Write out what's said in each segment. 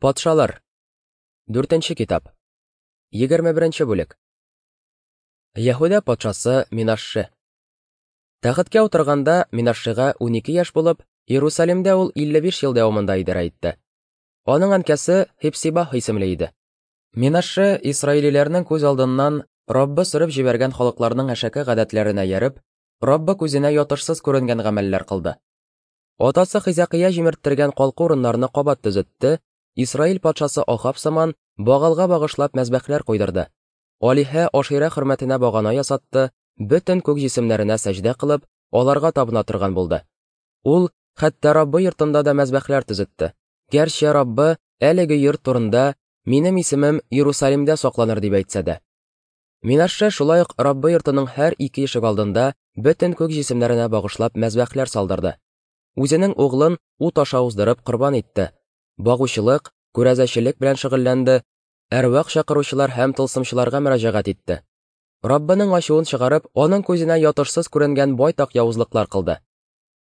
Патшалар. Дүртенче китап. 21 бүлек. Яһүдә патшасы Минашше. Тәхеткә утырганда Минашшега 12 яшь булып, Иерусалимдә ул 55 ел дәвамында идарә итте. Аның әнкәсе Хепсибах исемле иде. Минашше исраилиләрнең күз алдыннан Раббы сөреп җибәргән халыкларның әшәке гадәтләренә ияреп, Раббы күзенә ятышсыз күренгән гамәлләр кылды. Атасы Хизәкыя җимерттергән калку урыннарны кабат төзетте, Исраил патшасы Ахаб сыман Багалга багышлап мәзбәхләр куйдырды. Алиһә Аширә хөрмәтенә багана ясатты, бөтен күк җисемнәренә сәҗдә кылып, аларга табына торган булды. Ул хәтта Раббы йортында да мәзбәхләр төзетте. Гәрчә Раббы әлеге йорт турында минем исемем Иерусалимдә сакланыр дип әйтсә дә. Минашше шулай ук Раббы йортының һәр ике ишек алдында бөтен күк җисемнәренә багышлап мәзбәхләр салдырды. Үзенең углын ут аша уздырып корбан итте. Багучылык, күрәзәчелек белән шөгыльләнде, әрвах чакыручылар һәм тылсымчыларга мөрәҗәгать итте. Раббының ачуын чыгарып, аның күзенә ятышсыз күренгән байтак явызлыклар кылды.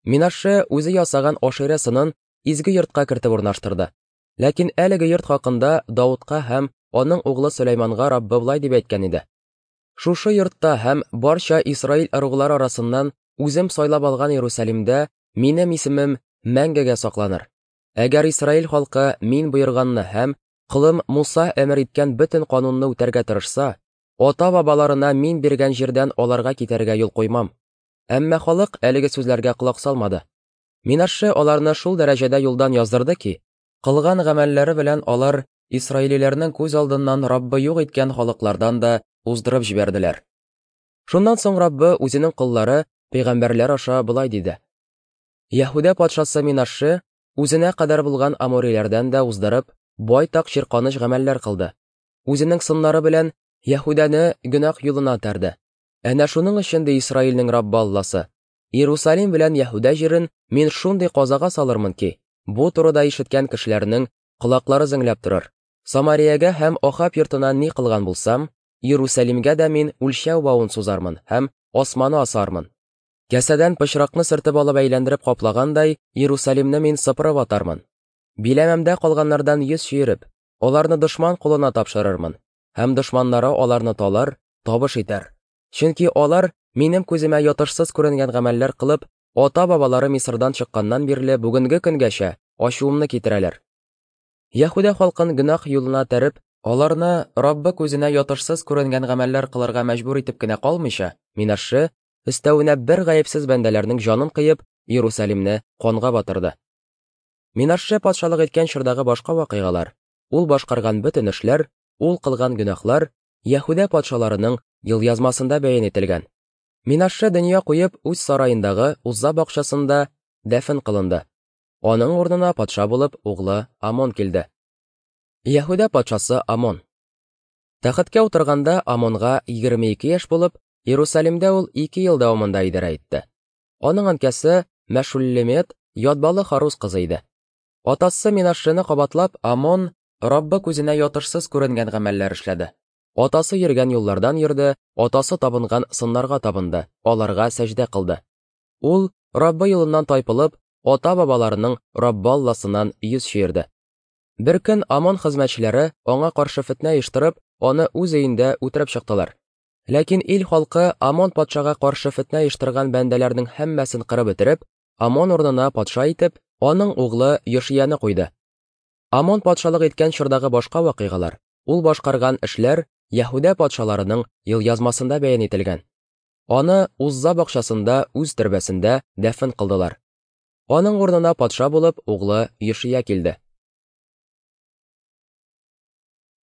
Минашше үзе ясаган Аширә сынын изге йортка кертеп урнаштырды. Ләкин әлеге йорт хакында Даудка һәм аның углы Сөләйманга Раббы болай дип әйткән иде: Шушы йортта һәм барча Исраил ыруглары арасыннан үзем сайлап алган Иерусалимдә минем исемем мәңгегә сакланыр. Әгәр Исраил халкы мин боерганны һәм колым Муса әмер иткән бөтен канунны үтәргә тырышса, ата-бабаларына мин биргән җирдән аларга китәргә юл куймам. Әмма халык әлеге сүзләргә колак салмады. Минашше аларны шул дәрәҗәдә юлдан яздырды ки, кылган гамәлләре белән алар исраилиләрнең күз алдыннан Раббы юк иткән халыклардан да уздырып җибәрделәр. Шуннан соң Раббы үзенең коллары, пәйгамбәрләр аша болай диде: Яһүдә патшасы Минашше үзенә кадәр булган амориләрдән дә уздырып, байтак чирканыч гамәлләр кылды. Үзенең сыннары белән Яһүдәне гөнаһ юлына этәрде. Әнә шуның өчен, ди Исраилнең Раббы Алласы, Иерусалим белән Яһүдә җирен мин шундый казага салырмын ки, бу турыда ишеткән кешеләрнең колаклары зеңләп торыр. Самариягә һәм Ахаб йортына ни кылган булсам, Иерусалимгә дә мин үлчәү бавын сузармын һәм османы асармын. Кәсәдән пычракны сөртеп алып әйләндереп каплагандай, Иерусалимны мин сыпырып атармын. Биләмәмдә калганнардан йөз чөереп, аларны дошман кулына тапшырырмын, һәм дошманнары аларны талар, табыш итәр. Чөнки алар минем күземә ятышсыз күренгән гамәлләр кылып, ата-бабалары Мисырдан чыкканнан бирле бүгенге көнгәчә ачуымны китерәләр. Яһүдә халкын гөнаһ юлына этәреп, аларны Раббы күзенә ятышсыз күренгән гамәлләр кылырга мәҗбүр итеп кенә калмыйча, Минашше, өстәвенә бер гаепсез бәндәләрнең җанын кыеп, Иерусалимне канга батырды. Минашше патшалык иткән чордагы башка вакыйгалар, ул башкарган бөтен эшләр, ул кылган гөнаһлар Яһүдә патшаларының елъязмасында бәян ителгән. Минашше дөнья куеп, үз сараендагы Узза бакчасында дәфен кылынды. Аның урынына патша булып углы Амон килде. Яһүдә патшасы Амон. Тәхеткә утырганда Амонга 22 яшь булып, Иерусалимдә ул 2 ел дәвамында идарә итте. Аның әнкәсе Мәшуллемет Ятбалы Харус кызы иде. Атасы Минашшены кабатлап, Амон Раббы күзенә ятышсыз күренгән гамәлләр эшләде. Атасы йөргән юллардан йөрде, атасы табынган сыннарга табынды, аларга сәҗдә кылды. Ул Раббы юлыннан тайпылып, ата-бабаларының Раббы Алласыннан йөз чөерде. Бер көн Амон хезмәтчеләре аңа каршы фетнә оештырып, аны үз өендә үтереп чыктылар. Ләкин ил халкы Амон патшага каршы фетнә оештырган бәндәләрнең һәммәсен кырып бетереп, Амон урынына патша итеп, аның углы Йошияне куйды. Амон патшалык иткән чордагы башка вакыйгалар, ул башкарган эшләр Яһүдә патшаларының елъязмасында бәян ителгән. Аны Узза бакчасында үз төрбәсендә дәфен кылдылар. Аның урынына патша булып углы Йошия килде.